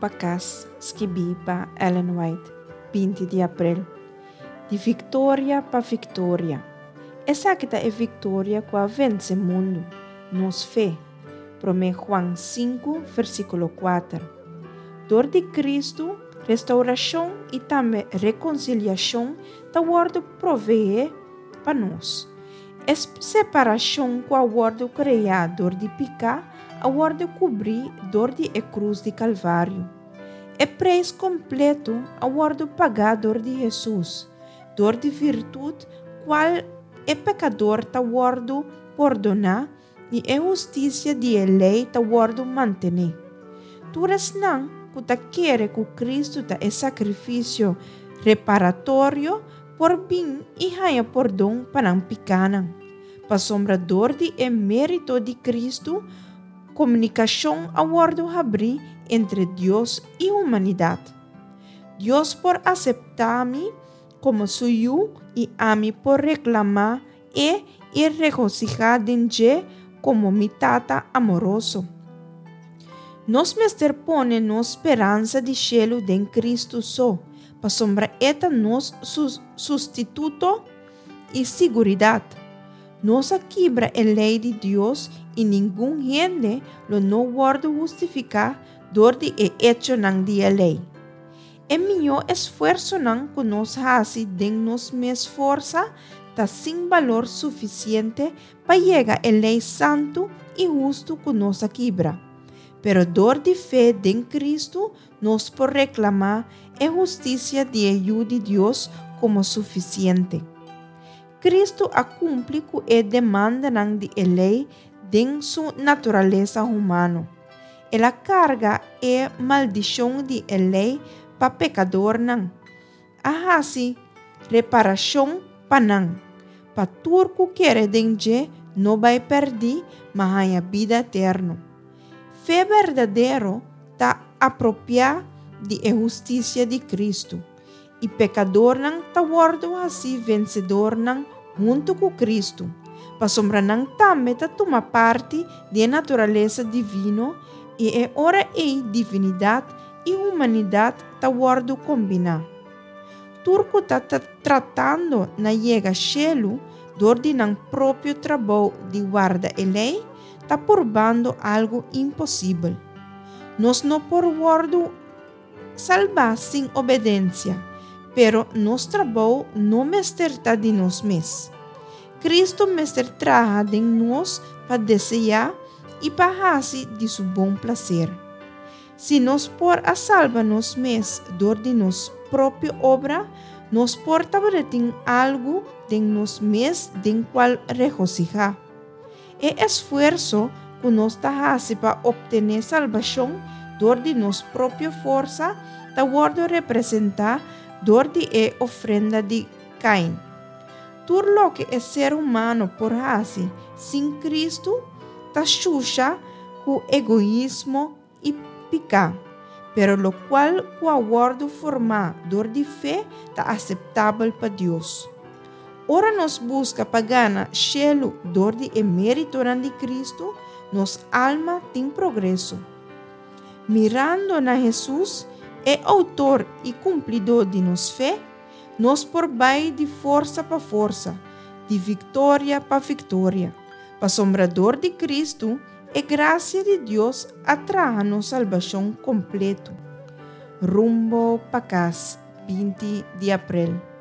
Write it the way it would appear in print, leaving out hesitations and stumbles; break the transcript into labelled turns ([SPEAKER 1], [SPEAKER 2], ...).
[SPEAKER 1] pa Kas, skibí pa Ellen White, 20 di aprel. Di viktoria pa viktoria. Esaki ta e viktoria ku a vense mundu, nos fe. Promé Juan 5, versíkulo 4. Dor di Kristu, restaurashon i tambe rekonsiliashon ta wòrdu proveé pa nos. E separashon ku a wòrdu kreá dor di piká a wòrdu kubrí dor di e krus di Kalvario. E preis kompletu a wòrdu pagá dor di Hesus, dor di virtut kual e pekador ta wòrdu pordoná i e hustisia di e lei ta wòrdu mantené. Tur esnan ku ta kere ku Kristu ta e sakrifisio reparatorio por bin i haña pordon pa nan pikánan. Pasobra dor di e mérito di Kristu, komunikashon a wòrdu habrí entre Dios i humanidat. Dios por aseptá mi komo su yu i ami por reklamá E i regosihá den dje komo mi Tata amoroso. Nos mester pone nos speransa di shelu den Kristu so, pasobra E ta nos sustituto i siguridat. Nos a kibra e lei di Dios i ningun hende lo no wòrdu hustifiká dor di e echonan di e lei. E mihó esfuersonan ku nos hasi den nos mes forsa ta sin balor sufisiente pa yega e lei santu i hustu ku nos a kibra. Pero dor di fe den Kristu nos por reklamá e hustisia di e Yu di Dios komo sufisiente. Kristu a kumpli ku e demandanan di e lei den su naturalesa humano. El a karga e maldishon di e lei pa pekadornan, a hasi reparashon pa nan, pa tur ku kere den dje no bai pèrdí ma haña bida eterno. Fe berdadero ta apropiá di e hustisia di Kristu, i pekadornan ta wòrdu hasí vensedornan huntu ku Kristu, pasobra nan tambe ta tuma parti di e naturalesa divino i e ora ei divinidat i humanidat ta wòrdu kombiná. Tur ku ta tratando na yega shelu dor di nan propio trabou di warda e lei ta purbando algu imposibel. Nos no por wòrdu Salbá sin obedensia, pero nos trabou no mester ta di nos mes. Cristo mester traha den nos pa deseá i pa hasi di su bon plaser. Si nos por a salba nos mes dor di nos propio obra, nos por tabatin algu den nos mes den cual regocihá. E esfuerso ku nos ta hasi pa optené salbashon dor di nos propio forsa ta wòrdu representá dor di e ofrenda di Kain. Tur loke e ser humano por hasi sin Kristu ta shusha ku egoismo i piká, pero lokual ku a wòrdu formá dor di fe ta aseptabel pa Dios. Ora nos buska pa gana shelu dor di e méritonan di Kristu, nos alma tin progreso. Mirando na Hesus, e outor i kumplidó di nos fe, nos por bai di forsa pa forsa, di viktoria pa viktoria, pasobra dor di Kristu, E grasia di Dios a traha nos salbashon kompletu. Rumbo pa kas, 20 di aprel.